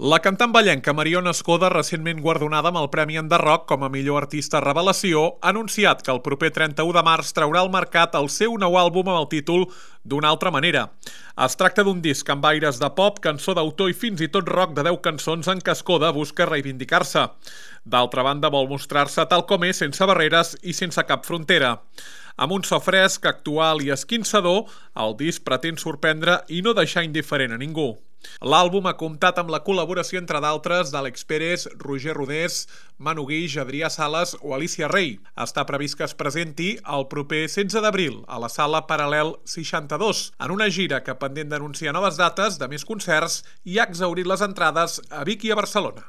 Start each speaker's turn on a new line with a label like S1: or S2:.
S1: La cantant ballenca Mariona Escoda, recentment guardonada amb el Premi Enderroc com a millor artista revelació, ha anunciat que el proper 31 de març traurà al mercat el seu nou àlbum amb el títol D'una altra manera. Es tracta d'un disc amb aires de pop, cançó d'autor i fins i tot rock de 10 cançons en què Escoda busca reivindicar-se. D'altra banda, vol mostrar-se tal com és, sense barreres i sense cap frontera. Amb un so fresc, actual i esquinçador, el disc pretén sorprendre i no deixar indiferent a ningú. L'àlbum ha comptat amb la col·laboració, entre d'altres, d'Àlex Pérez, Roger Rodés, Manu Guix, Adrià Sales o Alicia Rey. Està previst que es presenti el proper 16 d'abril a la sala Paral·lel 62, en una gira que, pendent d'anunciar noves dates de més concerts, i ha exhaurit les entrades a Vic i a Barcelona.